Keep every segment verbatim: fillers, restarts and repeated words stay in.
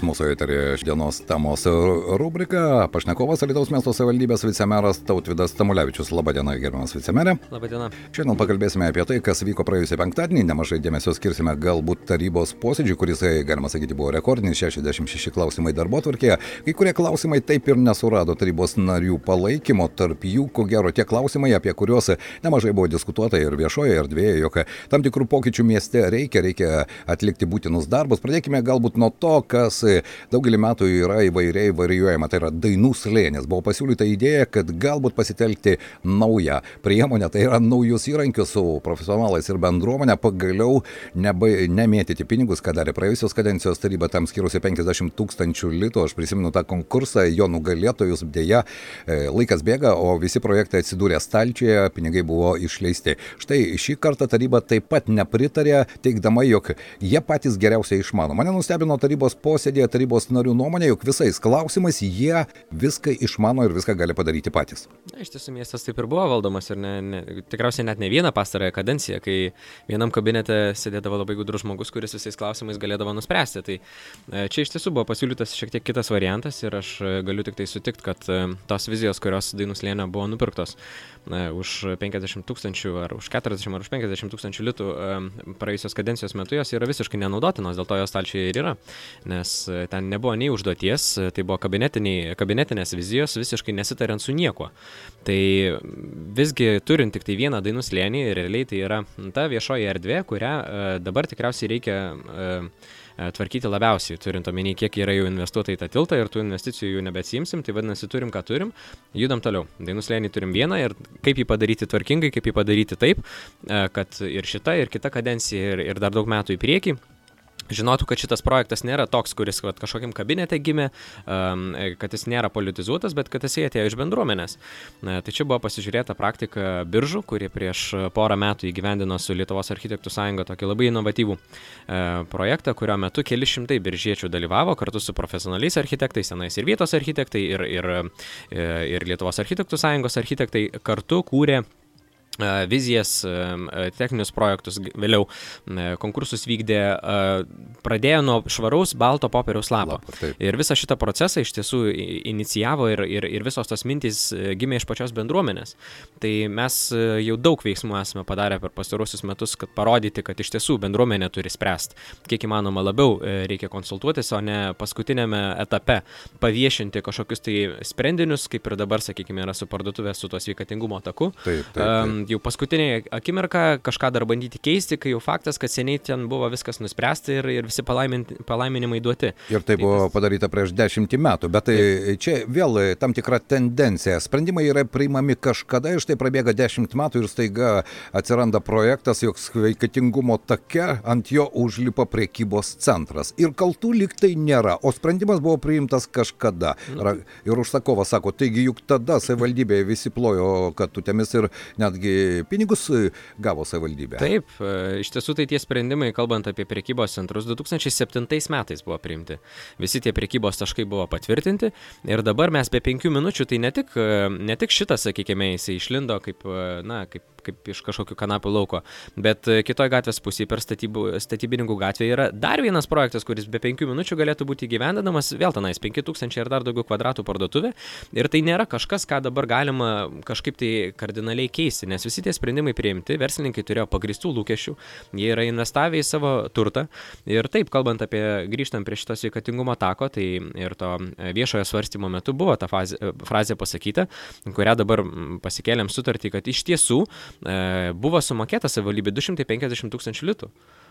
Mūsų eterėje dienos temos rubrika. Pašnekovas Alytaus miesto savivaldybės vicemeras Tautvydas Tamulevičius. Labadiena, gerbiamas vicemerė. Labadiena. Šiandien pakalbėsime apie tai, kas vyko praėjusį penktadienį. Nemažai dėmesio skirsime galbūt tarybos posėdžiui, kuris, galima sakyti, buvo rekordinis, šešiasdešimt šeši klausimai darbotvarkėje. Kai kurie klausimai taip ir nesurado tarybos narių palaikymo. Tarp jų, ko gero, tie klausimai, apie kuriuos nemažai buvo diskutuota ir viešoje erdvėje, jog tam tikrų pokyčių mieste reikia, reikia atlikti būtinus darbus. Pradėkime galbūt nuo to, kas daugelį metų yra įvairiai varijuojama, tai yra dainų slėnis. Buvo pasiūlyta idėja, kad galbūt pasitelkti naują priemonę, tai yra naujus įrankius su profesionalais ir bendruomenė, pagaliau neba, nemėtyti pinigus, ką darė praėjusios kadencijos taryba, tam skirusi penkiasdešimt tūkstančių litų. Aš prisimenu tą konkursą, jo nugalėtojus, dėja, laikas bėga, o visi projektai atsidūrė stalčiuje, pinigai buvo išleisti. Štai šį kartą taryba taip pat nepritarė, teigdama, jog jie patys geriausiai išmano. Mane nustebino tarybos posėdė, tarybos narių nuomonė, jog visais klausimais jie viską išmano ir viską gali padaryti patys. Na, iš tiesų miestas taip ir buvo valdomas ir ne, ne, tikriausiai net ne vieną pastarąją kadenciją, kai vienam kabinete sėdėdavo labai gudrus žmogus, kuris visais klausimais galėdavo nuspręsti. Tai čia iš tiesų buvo pasiūlytas šiek tiek kitas variantas ir aš galiu tik tai sutikti, kad tos vizijos, kurios Dainų slėnio buvo nupirktos na, už penkiasdešimt tūkstančių ar už keturiasdešimt ar už penkiasdešimt tūkstančių litų praėjusios kadencijos metu, jos yra visiškai nenaudotinos, dėl to jos stalčiuje ir yra, nes ten nebuvo nei užduoties, tai buvo kabinetinės vizijos, visiškai nesitariant su niekuo. Tai visgi turint tik tai vieną Dainų slėnį, realiai tai yra ta viešoji erdvė, kurią dabar tikriausiai reikia tvarkyti labiausiai, turint omeny, kiek yra jau investuota į tą tiltą ir tų investicijų jų nebeatsiimsim, tai vadinasi turim, ką turim, judam toliau. Dainų slėnį turim vieną ir kaip jį padaryti tvarkingai, kaip jį padaryti taip, kad ir šita, ir kita kadencija, ir, ir dar daug metų į priekį žinotų, kad šitas projektas nėra toks, kuris vat, kažkokiam kabinete gimė, um, kad jis nėra politizuotas, bet kad jis atėjo iš bendruomenės. Na, tai čia buvo pasižiūrėta praktika Biržų, kuri prieš porą metų įgyvendino su Lietuvos architektų sąjunga tokį labai inovatyvų e, projektą, kurio metu keli šimtai biržiečių dalyvavo kartu su profesionaliais architektais, senais ir vietos architektai, ir, ir, ir Lietuvos architektų sąjungos architektai kartu kūrė vizijas, techninius projektus, vėliau konkursus vykdė, pradėjo nuo švaraus balto popieriaus lapo. Lapa, ir visą šitą procesą iš tiesų inicijavo ir, ir, ir visos tos mintys gimė iš pačios bendruomenės. Tai mes jau daug veiksmų esame padarę per pastarosius metus, kad parodyti, kad iš tiesų bendruomenė turi spręsti. Kiek įmanoma labiau reikia konsultuotis, o ne paskutinėme etape paviešinti kažkokius tai sprendinius, kaip ir dabar, sakykime, yra su parduotuvė su tuo sveikatingumo taku. Taip, taip, taip. Jau paskutinė akimirka kažką dar bandyti keisti, kai jau faktas, kad seniai ten buvo viskas nuspręsta ir, ir visi palaiminimai duoti. Ir tai buvo padaryta prieš dešimtį metų, bet tai čia vėl tam tikra tendencija. Sprendimai yra priimami kažkada ir štai prabėga dešimt metų ir staiga atsiranda projektas, jog sveikatingumo take ant jo užlipa prekybos centras. Ir kaltų lyg tai nėra, o sprendimas buvo priimtas kažkada. Ir užsakovas sako, taigi juk tada savivaldybėje visi plojo katutėmis ir netgi pinigus gavo savivaldybė. Taip, iš tiesų tai tie sprendimai, kalbant apie prekybos centrus, du tūkstančiai septintais metais buvo priimti. Visi tie prekybos taškai buvo patvirtinti ir dabar mes be penkių minučių, tai ne tik, ne tik šitas, sakykime, jisai išlindo kaip, na, kaip, kaip iš kažkokių kanapių lauko, bet kitoj gatvės pusėje per statybų, statybininkų gatvėje yra dar vienas projektas, kuris be penkių minučių galėtų būti įgyvendinamas, vėl tenais penki tūkstančiai ir dar daugiau kvadratų parduotuvė ir tai nėra kažkas, ką dabar galima kažkaip tai kardinaliai keisti, nes visi tie sprendimai priimti, verslininkai turėjo pagristų lūkesčių, jie yra investavę į savo turtą ir taip, kalbant apie, grįžtant prie šito sveikatingumo tako, tai ir to viešojo svarstymo metu buvo ta fazė, frazė pasakyta, kurią dabar pasikėlėm sutartį, kad iš tiesų e, buvo sumokėta savivaldybė du šimtai penkiasdešimt tūkstančių litų.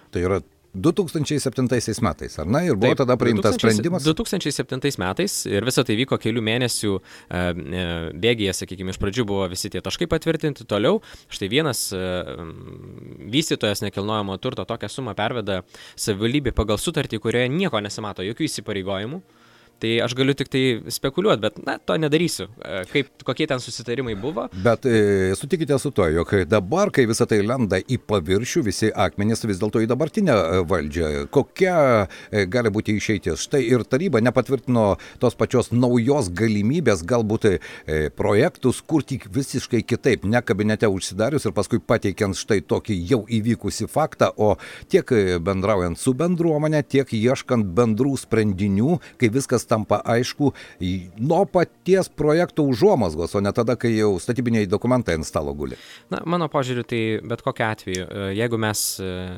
Tai yra du tūkstančiai septintaisiais metais, ar ne? Ir buvo Taip, tada priimtas sprendimas? du tūkstančiai septintais metais ir visą tai vyko kelių mėnesių e, bėgyje, sakykime, iš pradžių buvo visi tie taškai patvirtinti, toliau štai vienas e, vystytojas nekilnojamo turto tokią sumą perveda savivaldybė pagal sutartį, kurioje nieko nesimato, jokių įsipareigojimų. Tai aš galiu tik tai spekuliuoti, bet na, to nedarysiu. Kaip, kokie ten susitarimai buvo. Bet e, sutikite su to, jog dabar, kai visą tai lenda į paviršių, visi akmenys vis dėlto į dabartinę valdžią, kokia e, gali būti išeitis? Štai ir taryba nepatvirtino tos pačios naujos galimybės galbūt e, projektus kurti visiškai kitaip, ne kabinete užsidarius ir paskui pateikiant štai tokį jau įvykusi faktą, o tiek bendraujant su bendruomenė, tiek ieškant bendrų sprendinių, kai viskas tampa aišku nuo paties projekto užuomazgos, o ne tada, kai jau statybiniai dokumentai ant stalo guli. Na, mano požiūriu, tai bet kokiu atveju, jeigu mes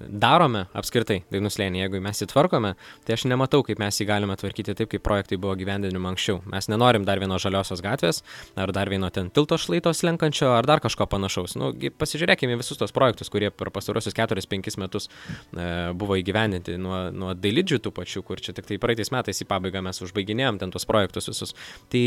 darome apskritai Dainų slėnį, jeigu mes įtvarkome, tai aš nematau, kaip mes jį galime tvarkyti taip, kaip projektai buvo gyvendinimi anksčiau. Mes nenorim dar vieno žaliosios gatvės, ar dar vieno ten tilto šlaito slenkančio, ar dar kažko panašaus. Nu, pasižiūrėkime visus tos projektus, kurie per pastarosius keturis penkis metus e, buvo įgyvendinti nuo, nuo dailidžių tų pačių, kur čia tik tai praeitais metais į pabaigą mes užbaiginėjom ten tos projektus visus. Tai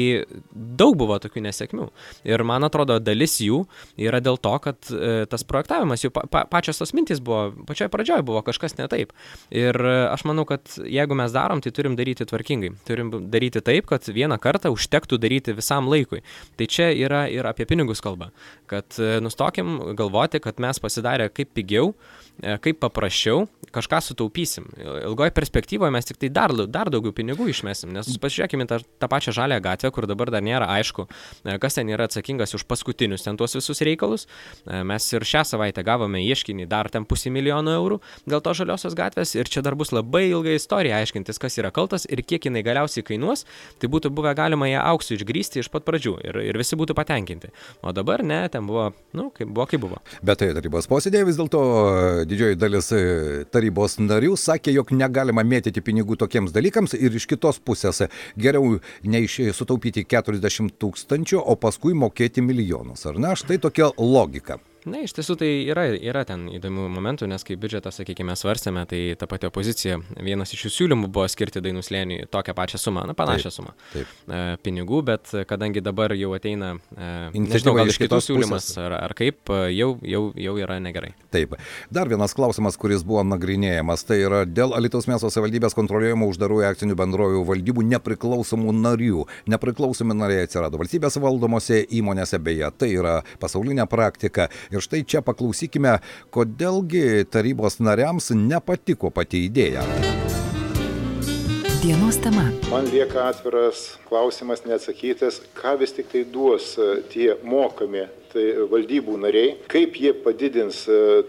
daug buvo tokių nesėkmių. Ir man atrodo, dalis jų yra dėl to, kad e, tas projektavimas, jų pa, pa, pačios tos mintys buvo, pačioje pradžioje buvo kažkas ne taip. Ir e, aš manau, kad jeigu mes darom, tai turim daryti tvarkingai. Turim daryti taip, kad vieną kartą užtektų daryti visam laikui. Tai čia yra ir apie pinigus kalba. Kad e, nustokim galvoti, kad mes pasidarę kaip pigiau, kaip paprasčiau, kažką sutaupysim. Ilgoje perspektyvoje mes tik tai dar, dar daugiau pinigų išmesim, nes pasižiūrėkime tą, tą pačią žalią gatvę, kur dabar dar nėra aišku, kas ten yra atsakingas už paskutinius ten tuos visus reikalus. Mes ir šią savaitę gavome ieškinį dar ten pusę milijono eurų dėl to žaliosios gatvės ir čia dar bus labai ilga istorija aiškintis, kas yra kaltas ir kiek jinai galiausiai kainuos, tai būtų buvę galima ją auksų išgrįsti iš pat pradžių ir, ir visi būtų patenkinti. O dabar ne, ten buvo, nu, kaip buvo, kaip buvo. Bet tai tarybos posėdėje vis dėlto didžioji dalis tarybos narių sakė, jog negalima mėtyti pinigų tokiems dalykams ir iš kitos pusės geriau neiš sutaupyti keturiasdešimt tūkstančių, o paskui mokėti milijonus. Ar ne? Štai tokia logika. Na, iš tiesų tai yra, yra ten įdomių momentų, nes kai biudžetą, sakykime, svarstėme, tai ta pati opozicija, vienas iš jų siūlymų buvo skirti Dainų slėniui tokią pačią sumą, na, panašią taip, sumą taip. E, pinigų, bet kadangi dabar jau ateina, e, nežinau, gal iš kitos siūlymas ar, ar kaip, jau, jau, jau yra negerai. Taip. Dar vienas klausimas, kuris buvo nagrinėjamas, tai yra dėl Alytaus miesto savivaldybės kontroliuojamų uždarųjų akcinių bendrovių valdybų nepriklausomų narių. Nepriklausomi nariai atsirado valstybės valdomose įmonėse, beje, tai yra pasaulinė praktika. Ir štai čia paklausykime, kodėlgi tarybos nariams nepatiko pati idėja. Dienos tema. Man lieka atviras klausimas neatsakytas, ką vis tik tai duos tie mokami tai valdybų nariai, kaip jie padidins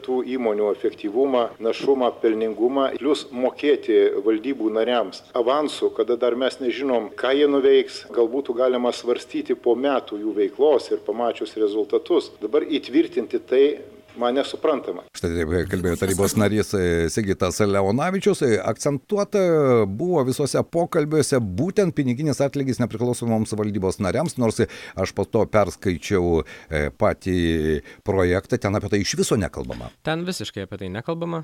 tų įmonių efektyvumą, našumą, pelningumą, plus mokėti valdybų nariams avansų, kada dar mes nežinom, ką jie nuveiks, galbūt galima svarstyti po metų jų veiklos ir pamačius rezultatus. Dabar įtvirtinti tai man nesuprantama. Štai taip kalbėjo tarybos narys Sigitas Leonavičius. Akcentuota buvo visose pokalbiuose būtent piniginis atlygis nepriklausomoms valdybos nariams, nors aš po to perskaičiau patį projektą, ten apie tai iš viso nekalbama. Ten visiškai apie tai nekalbama,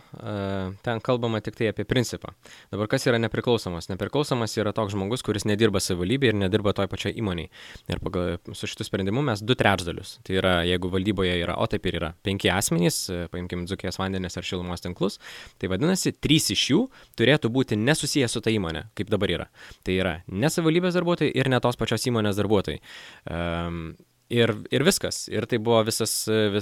ten kalbama tik tai apie principą. Dabar kas yra nepriklausomas? Nepriklausomas yra toks žmogus, kuris nedirba savivaldybėje ir nedirba toj pačioj įmonėj. Ir pagal su šitų sprendimu mes du trečdalius. Tai yra, jeigu valdyboje yra, o taip ir yra, penki asmenys, paimkim Dzūkijos vandenis ar šilumos tinklus, tai vadinasi, trys iš jų turėtų būti nesusiję su ta įmonė, kaip dabar yra. Tai yra ne savivaldybės darbuotojai ir ne tos pačios įmonės darbuotojai. Um, Ir, ir viskas. Ir tai buvo visas,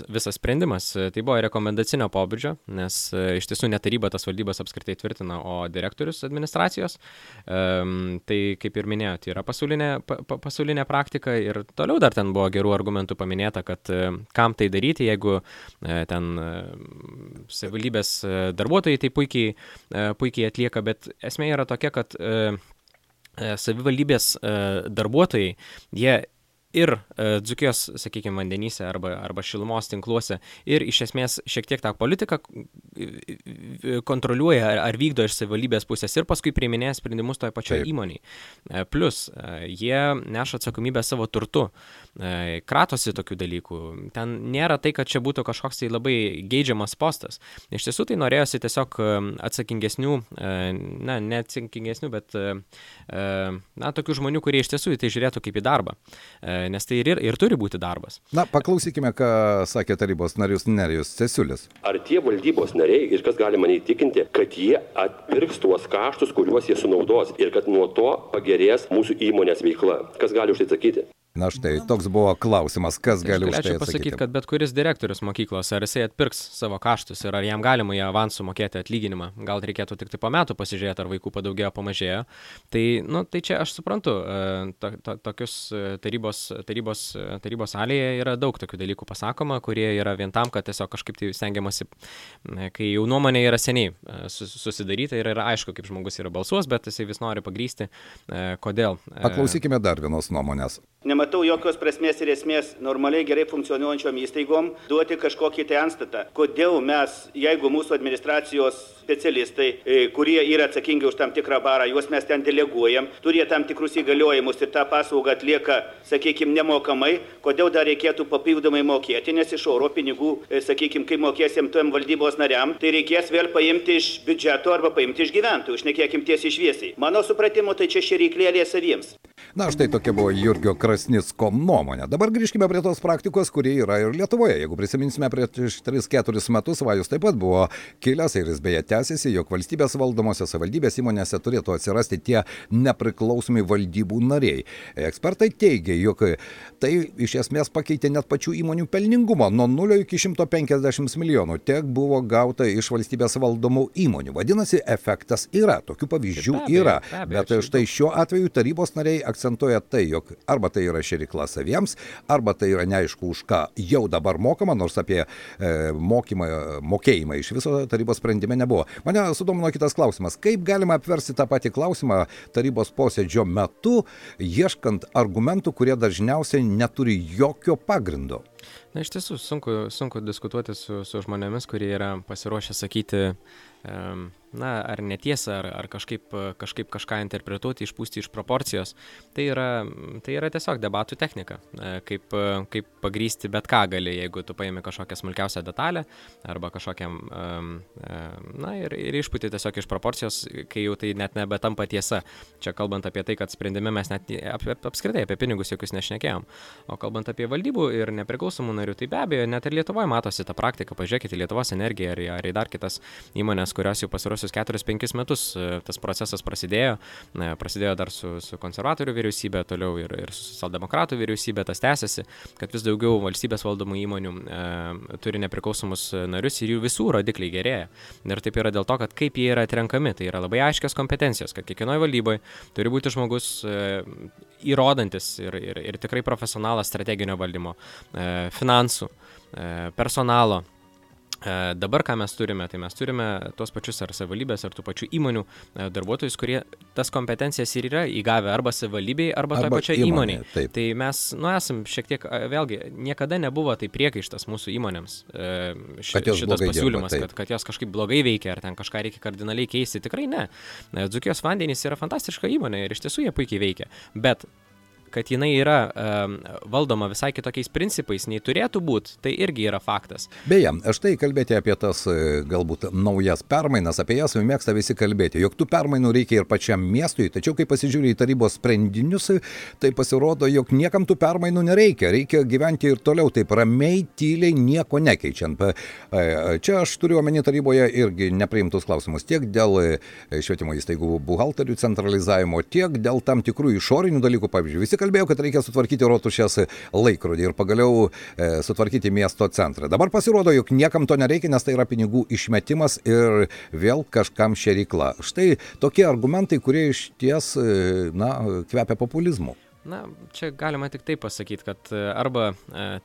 visas sprendimas. Tai buvo rekomendacinio pobūdžio, nes iš tiesų ne taryba tas valdybas apskritai tvirtina, o direktorius administracijos. Um, tai kaip ir minėjote, yra pasaulinė, pa, pasaulinė praktika ir toliau dar ten buvo gerų argumentų paminėta, kad kam tai daryti, jeigu ten savivaldybės darbuotojai tai puikiai, puikiai atlieka, bet esmė yra tokia, kad savivaldybės darbuotojai, jie ir e, Dzūkijos, sakykime, vandenyse arba, arba šilumos tinkluose ir iš esmės šiek tiek tą politiką kontroliuoja ar, ar vykdo iš savivaldybės pusės ir paskui priiminėja sprendimus toje pačioje įmonėje. E, plus, e, jie neša atsakomybę savo turtu, e, kratosi tokių dalykų. Ten nėra tai, kad čia būtų kažkoks tai labai geidžiamas postas. Iš tiesų tai norėjosi tiesiog atsakingesnių, e, na, ne atsakingesnių, bet e, na, tokių žmonių, kurie iš tiesų į tai žiūrėtų kaip į darbą. E, nes tai ir, ir turi būti darbas. Na, paklausykime, ką sakė tarybos narius Nerijus Cesiulis. Ar tie valdybos nariai, ir kas gali mane įtikinti, kad jie atpirks tuos kaštus, kuriuos jie sunaudos ir kad nuo to pagerės mūsų įmonės veikla? Kas gali už tai atsakyti? Na štai, toks buvo klausimas, kas gali už tai atsakyti. Aš galėčiau pasakyti, kad bet kuris direktorius mokyklos, ar jisai atpirks savo kaštus ir ar jam galima į avansų mokėti atlyginimą. Gal reikėtų tik tai po metų pasižiūrėti, ar vaikų padaugėjo, pamažėjo. Tai, nu, tai čia aš suprantu, to, to, tokius tarybos, tarybos, tarybos salėje yra daug tokių dalykų pasakoma, kurie yra vien tam, kad tiesiog kažkaip tai stengiamasi, kai jau nuomonė yra seniai susidaryta ir yra aišku, kaip žmogus yra balsuos, bet jisai vis nori pagrysti, kodėl. Paklausykime dar vienos nuomonės. Nematau jokios prasmės ir esmės normaliai gerai funkcionuojančiom įstaigom duoti kažkokį tai antstatą. Kodėl mes, jeigu mūsų administracijos specialistai, kurie yra atsakingi už tam tikrą barą, juos mes ten deleguojam, turi tam tikrus įgaliojimus ir tą paslaugą atlieka, sakykime, nemokamai, kodėl dar reikėtų papildomai mokėti, nes iš oro pinigų, sakykime, kai mokėsim tuom valdybos nariam, tai reikės vėl paimti iš biudžeto arba paimti iš gyventojų, šnekėkim tiesiai šviesiai. Mano supratimu, tai čia šėryklėlė saviems. Na, štai tokia buvo Jurgio Krasnicko nuomonė. Dabar grįžkime prie tos praktikos, kuri yra ir Lietuvoje. Jeigu prisiminsime, prieš tris keturis metus Vajus taip pat buvo kilęs ir jis beje tęsiasi, jog valstybės valdomose savivaldybės įmonėse turėtų atsirasti tie nepriklausomi valdybų nariai. Ekspertai teigia, jog tai iš esmės pakeitė net pačių įmonių pelningumą. Nuo nulio iki šimto penkiasdešimt milijonų tiek buvo gauta iš valstybės valdomų įmonių. Vadinasi, efektas yra, tokių pavyzdžių yra. Bet štai šiuo atveju tarybos nariai akcentuoja tai, jog arba tai yra šėrykla saviems, arba tai yra neaišku už ką jau dabar mokama, nors apie e, mokymą, mokėjimą iš viso tarybos sprendime nebuvo. Mane sudomino kitas klausimas. Kaip galima apversti tą patį klausimą tarybos posėdžio metu, ieškant argumentų, kurie dažniausiai neturi jokio pagrindo? Na, iš tiesų, sunku, sunku diskutuoti su, su žmonėmis, kurie yra pasiruošę sakyti, um, na, ar netiesa, ar, ar kažkaip, kažkaip kažką interpretuoti, išpūsti iš proporcijos. Tai yra, tai yra tiesiog debatų technika. Kaip, kaip pagrįsti bet ką gali, jeigu tu paimi kažkokią smulkiausią detalę arba kažkokią, um, na, ir, ir išpūti tiesiog iš proporcijos, kai jau tai net nebetampa tiesa. Čia kalbant apie tai, kad sprendime mes net ap, ap, apskritai apie pinigus jokius nešnekėjom. O kalbant apie valdybų ir nepriklausomų narių, tai be abejo, net ir Lietuvoje matosi tą praktiką. Pažiūrėkite Lietuvos energiją ar, ar į dar kitas įmonės, kurios jau pasiruošusios keturis penkis metus tas procesas prasidėjo. Prasidėjo dar su, su konservatorių vyriausybė, toliau ir, ir su socialdemokratų vyriausybė, tas tęsiasi, kad vis daugiau valstybės valdomų įmonių e, turi nepriklausomus narius ir jų visų rodikliai gerėja. Ir taip yra dėl to, kad kaip jie yra atrenkami, tai yra labai aiškios kompetencijos, kad kiekvienoje valdyboje turi būti žmogus e, įrodantis ir, ir, ir tikrai profesionalas strateginio valdymo, e, finansų, e, personalo. Dabar ką mes turime, tai mes turime tos pačius ar savivaldybės, ar tų pačių įmonių darbuotojus, kurie tas kompetencijas ir yra įgavę arba savivaldybei, arba, arba toje pačioje įmonėje. Įmonė, tai mes, nu, esam šiek tiek, vėlgi, niekada nebuvo tai priekaištas mūsų įmonėms ši, šitas pasiūlymas, dirba, kad, kad jos kažkaip blogai veikia, ar ten kažką reikia kardinaliai keisti. Tikrai ne. Dzūkijos vandenys yra fantastiška įmonė ir iš tiesų jie puikiai veikia. Bet kad jinai yra um, valdoma visai kitokiais principais, nei turėtų būti, tai irgi yra faktas. Beje, štai kalbėti apie tas galbūt naujas permainas, apie jas mėgsta visi kalbėti, jog tų permainų reikia ir pačiam miestui, tačiau kai pasižiūrė į tarybos sprendinius, tai pasirodo, jog niekam tų permainų nereikia, reikia gyventi ir toliau taip ramiai, tyliai, nieko nekeičiant. Čia aš turiu omeny taryboje irgi nepriimtus klausimus, tiek dėl švietimo įstaigų buhalterių centralizavimo, tiek dėl tam tikrų išorinių dalykų, pavyzdžiui, visi kalbėjau, kad reikia sutvarkyti Rotušės laikrodį ir pagaliau e, sutvarkyti miesto centrą. Dabar pasirodo, jog niekam to nereikia, nes tai yra pinigų išmetimas ir vėl kažkam šėrykla. Štai tokie argumentai, kurie iš ties, e, na, kvepia populizmu. Na, čia galima tik taip pasakyti, kad arba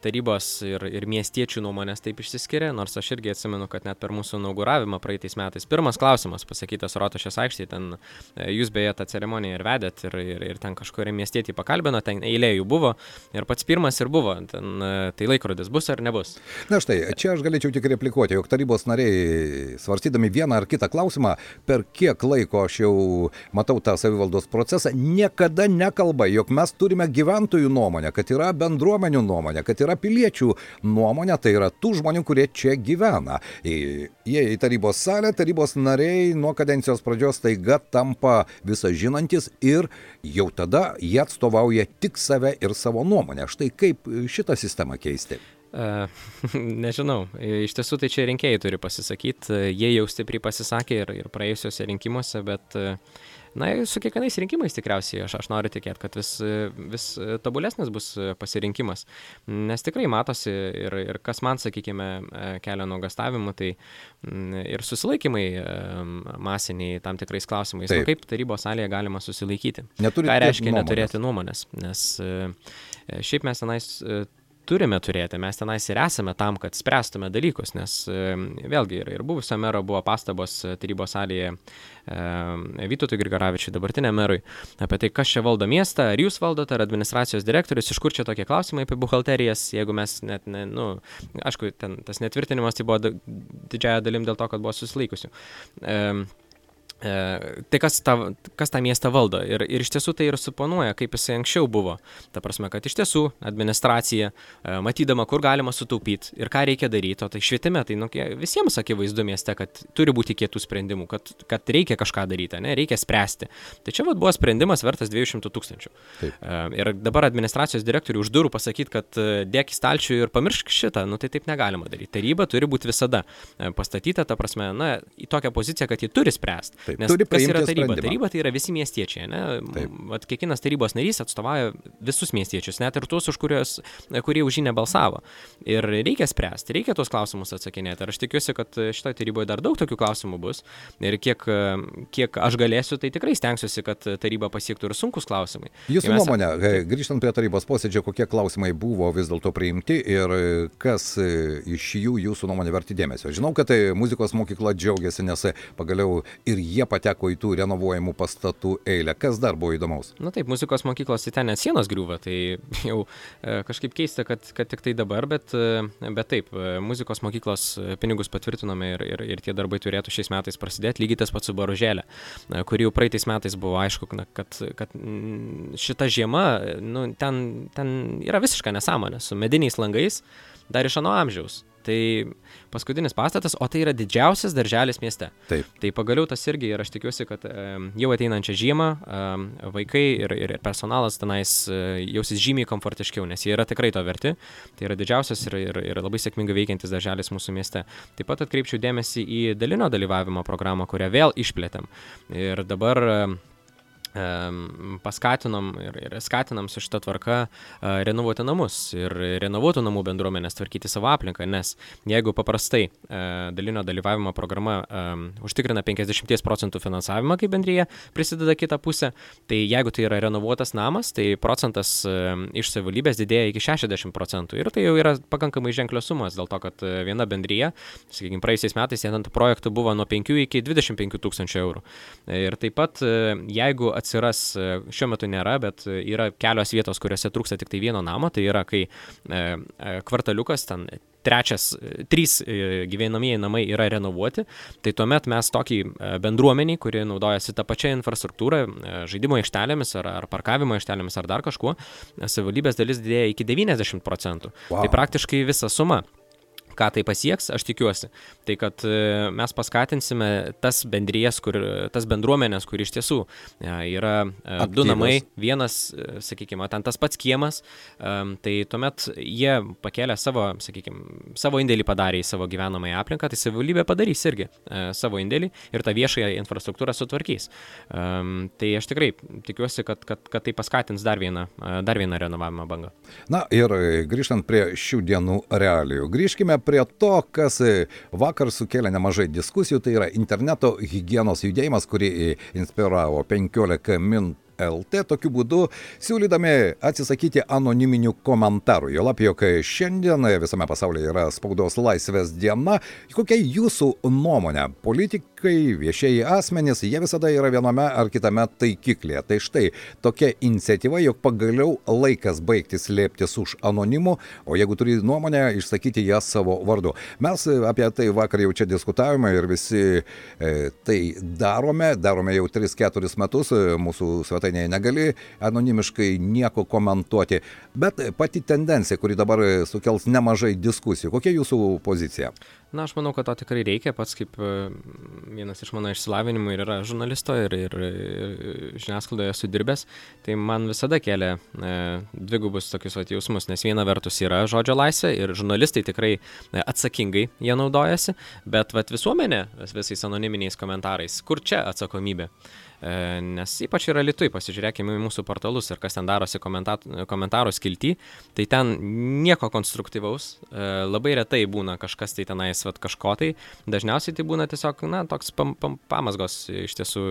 tarybos ir, ir miestiečių nuomonės taip išsiskiria, nors aš irgi atsimenu, kad net per mūsų inauguravimą praeitais metais pirmas klausimas pasakytas Rotušės aikštėje, ten jūs beje tą ceremoniją ir vedėt ir, ir, ir ten kažkurį miestietį pakalbino, ten eilė jų buvo ir pats pirmas ir buvo, ten, tai laikrodis bus ar nebus. Na štai, čia aš galėčiau tik replikuoti, jog tarybos nariai svarstydami vieną ar kitą klausimą, per kiek laiko aš jau matau tą savivaldos procesą, niekada nekalba, jog mes turime gyventojų nuomonę, kad yra bendruomenių nuomonė, kad yra piliečių nuomonė, tai yra tų žmonių, kurie čia gyvena. Jie į tarybos salę, tarybos nariai nuo kadencijos pradžios taiga tampa visą žinantis ir jau tada jie atstovauja tik save ir savo nuomonę. Štai kaip šitą sistemą keisti? Uh, nežinau, iš tiesų tai čia rinkėjai turi pasisakyti, jie jau stipriai pasisakė ir, ir praėjusiuose rinkimuose, bet na, su kiekvienais rinkimais tikriausiai aš, aš noriu tikėti, kad vis, vis tobulesnis bus pasirinkimas, nes tikrai matosi ir, ir kas man, sakykime, kelia nuogastavimų, tai ir susilaikymai masiniai tam tikrais klausimais, nu, kaip tarybos salėje galima susilaikyti. Neturi ką reiškia nuomonės. Neturėti nuomonės, nes šiaip mes tenais turime turėti, mes tenais ir esame tam, kad spręstume dalykus, nes vėlgi ir, ir buvusio mero buvo pastabos tarybos salėje e, Vytautui Grigaravičiui, dabartiniam merui, apie tai, kas čia valdo miestą, ar jūs valdote, ar administracijos direktorius, iš kur čia tokie klausimai apie buhalterijas, jeigu mes net, ne, nu, aišku, ten tas netvirtinimas tai buvo didžiąją dalim dėl to, kad buvo susilaikusių. E, Tai kas tą, kas tą miestą valdo ir, ir iš tiesų tai ir suponuoja, kaip jisai anksčiau buvo. Ta prasme, kad iš tiesų administracija, matydama, kur galima sutaupyti ir ką reikia daryti, o tai švietime, tai nu, visiems akivaizdu mieste, kad turi būti kietų sprendimų, kad, kad reikia kažką daryti, ne, reikia spręsti. Tai čia vat, buvo sprendimas vertas dviejų šimtų tūkstančių. Taip. Ir dabar administracijos direktoriui už durų pasakyti, kad dėk į stalčių ir pamiršk šitą, nu tai taip negalima daryti. Taryba turi būti visada pastatyta, ta prasme, na, į tokią poziciją, kad ji turi spręsti. Taip, nes turi kas yra taryba? sprendimą. Taryba tai yra visi miestiečiai, ne? Vat kiekvienas tarybos narys atstovauja visus miestiečius, net ir tuos, už kurios, kurie už jį nebalsavo. Ir reikia spręsti, reikia tuos klausimus atsakinėti. Ir aš tikiuosi, kad šitoje taryboje dar daug tokių klausimų bus. Ir kiek, kiek aš galėsiu, tai tikrai stengsiuosi, kad taryba pasiektų ir sunkus klausimai. Jūsų mes... nuomonė, grįžtant prie tarybos posėdžio, kokie klausimai buvo vis dėlto priimti ir kas iš jų jūsų nuomonė verti dėmesio? Žinau, kad muzikos mokykla džiaugiasi, nes pagaliau ir jie pateko į tų renovuojamų pastatų eilę. Kas dar buvo įdomaus? Na taip, muzikos mokyklos į ten net sienos griūva, tai jau e, kažkaip keista, kad, kad tik tai dabar, bet, bet taip, muzikos mokyklos pinigus patvirtinome ir, ir, ir tie darbai turėtų šiais metais prasidėti, lygiai tas pats su Boružėlė, kuri jau praeitais metais buvo aišku, kad, kad šita žiema, nu, ten, ten yra visiška nesąmonė, su mediniais langais, dar iš ano amžiaus. Tai paskutinis pastatas, o tai yra didžiausias darželis mieste. Taip. Tai pagaliau tas irgi ir aš tikiuosi, kad e, jau ateinančią žiemą e, vaikai ir, ir personalas tenais e, jausis žymiai komfortiškiau, nes jie yra tikrai to verti. Tai yra didžiausias ir, ir, ir labai sėkmingai veikiantis darželis mūsų mieste. Taip pat atkreipčiau dėmesį į dalinio dalyvavimo programą, kurią vėl išplėtėm. Ir dabar e, paskatinom ir, ir skatinam su šita tvarka uh, renovuoti namus ir renovuotų namų bendruomenės tvarkyti savo aplinką, nes jeigu paprastai uh, dalinio dalyvavimo programa um, užtikrina penkiasdešimt procentų finansavimą, kai bendrija prisideda kitą pusę, tai jeigu tai yra renovuotas namas, tai procentas uh, iš savivaldybės didėja iki šešiasdešimt procentų ir tai jau yra pakankamai ženklios sumas, dėl to, kad uh, viena bendrija, sakykime, praėjusiais metais ant projektų buvo nuo penkių iki dvidešimt penkių tūkstančių eurų. Ir taip pat, uh, jeigu atsiras, šiuo metu nėra, bet yra kelios vietos, kuriuose trūksta tik tai vieno namo, tai yra, kai e, kvartaliukas, ten trečias, trys gyvenamieji namai yra renovuoti, tai tuomet mes tokį bendruomenį, kuri naudojasi tą pačią infrastruktūrą, žaidimo aikštelėmis ar, ar parkavimo aikštelėmis ar dar kažkuo, savivaldybės dalis didėja iki devyniasdešimt procentų. Wow. Tai praktiškai visa suma. Ką tai pasieks, aš tikiuosi. Tai, kad mes paskatinsime tas bendrijas, kur, tas bendruomenės, kur iš tiesų yra aktyvios. Du namai, vienas, sakykime, ten tas pats kiemas, tai tuomet jie pakėlė savo, sakykime, savo indėlį padarė į savo gyvenamąją aplinką, tai savivaldybė padarys irgi savo indėlį ir tą viešąją infrastruktūrą sutvarkys. Tai aš tikrai tikiuosi, kad, kad, kad tai paskatins dar vieną, dar vieną renovavimo bangą. Na ir grįžtant prie šių dienų realijų, grįžkime prie to, kas vakar sukėlė nemažai diskusijų, tai yra interneto higienos judėjimas, kurį inspiravo penkiolika min L T, tokiu būdu siūlydami atsisakyti anoniminių komentarų. Juolab, jog šiandien visame pasaulyje yra spaudos laisvės diena. Kokia jūsų nuomonė? Politik, politikai, viešieji asmenys, jie visada yra viename ar kitame taikiklėje. Tai štai tokia iniciatyva, jog pagaliau laikas baigti slėptis už anonimų, o jeigu turi nuomonę, išsakyti ją savo vardu. Mes apie tai vakar jau čia diskutavome ir visi e, tai darome, darome jau tris keturis metus, mūsų svetainėje negali anonimiškai nieko komentuoti, bet pati tendencija, kuri dabar sukels nemažai diskusijų. Kokia jūsų pozicija? Na, aš manau, kad to tikrai reikia, pats kaip vienas iš mano išsilavinimų ir yra žurnalisto ir, ir, ir žiniasklaidoje esu dirbęs, tai man visada kelia e, dvigubus tokius vat, jausmus, nes viena vertus yra žodžio laisvė ir žurnalistai tikrai e, atsakingai jie naudojasi, bet vat, visuomenė visais anoniminiais komentarais, kur čia atsakomybė? Nes ypač yra Lietuvai, pasižiūrėkime į mūsų portalus ir kas ten darosi komentarų skilty, tai ten nieko konstruktyvaus, labai retai būna kažkas tai tenais vat, kažko tai, dažniausiai tai būna tiesiog, na, toks pam, pam, pamasgos iš tiesų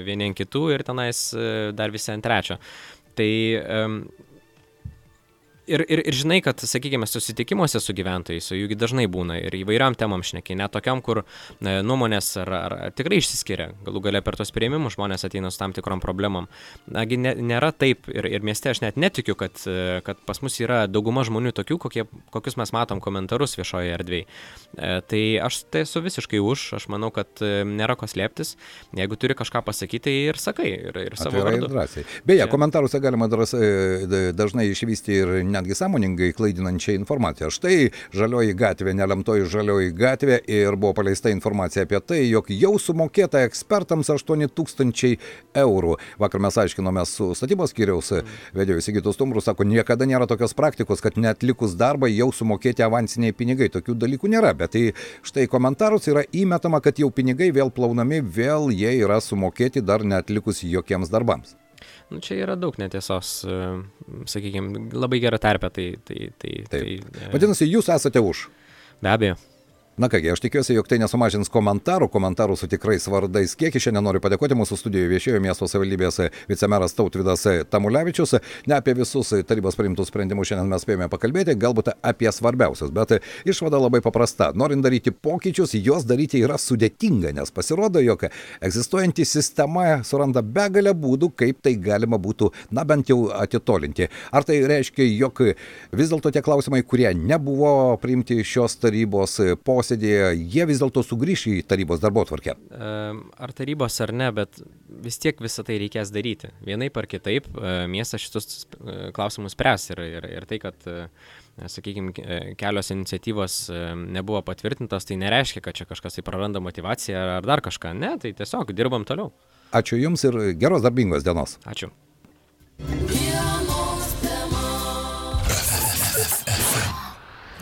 vieni ant kitų ir tenais dar visi ant trečio. Tai um, Ir, ir, ir žinai, kad, sakykime, susitikimuose su gyventojais, su jųgi dažnai būna ir įvairiam temam šneki, net tokiam, kur e, nuomonės ar, ar, ar tikrai išsiskiria, galų galia per tos priėmimus žmonės ateina su tam tikrom problemom. Nagi ne, nėra taip ir, ir mieste aš net netikiu, kad, kad pas mus yra dauguma žmonių tokių, kokie, kokius mes matom komentarus viešoje erdvėje. E, tai aš tai esu visiškai už, aš manau, kad nėra ko slėptis, jeigu turi kažką pasakyti, tai ir sakai, ir, ir savo vardu. Beje, komentaruose galima dažnai išvysti ir netgi sąmoningai klaidinančią informaciją. Štai žalioji gatvė, nelemtoji žalioji gatvė ir buvo paleista informacija apie tai, jog jau sumokėta ekspertams aštuoni tūkstančiai eurų. Vakar mes aiškinome su statybos skyriaus vedėju Sigitu Stumbru, sako, niekada nėra tokios praktikos, kad neatlikus darbą jau sumokėti avansiniai pinigai. Tokių dalykų nėra, bet tai štai komentarus yra įmetama, kad jau pinigai vėl plaunami, vėl jie yra sumokėti dar neatlikus jokiems darbams. Nu, čia yra daug netiesos, sakykime, labai gera terpė, tai... tai, tai, tai Vadinasi, jūs esate už? Be abejo. Na kągi, aš tikiuosi, jog tai nesumažins komentarų, komentarų su tikrais vardais kiekį. Šiandien noriu padėkoti mūsų studijoje viešėjo miesto savivaldybės vicemeras Tautvydas Tamulevičius. Ne apie visus tarybos priimtus sprendimus šiandien mes spėjome pakalbėti, galbūt apie svarbiausius, bet išvada labai paprasta. Norint daryti pokyčius, juos daryti yra sudėtinga, nes pasirodo, jog egzistuojanti sistema suranda begalę būdų, kaip tai galima būtų, na bent jau atitolinti. Ar tai reiškia, jog vis dėlto tie klausimai, kurie nebuvo priimti šios tarybos posėdėje, jie vis dėlto sugrįš į tarybos darbotvarkę? Ar tarybos ar ne, bet vis tiek visą tai reikės daryti. Vienaip ar kitaip miestas šitus klausimus spręs ir, ir, ir tai, kad, sakykime, kelios iniciatyvos nebuvo patvirtintos, tai nereiškia, kad čia kažkas tai praranda motivaciją ar dar kažką. Ne, tai tiesiog dirbam toliau. Ačiū Jums ir geros darbingos dienos. Ačiū.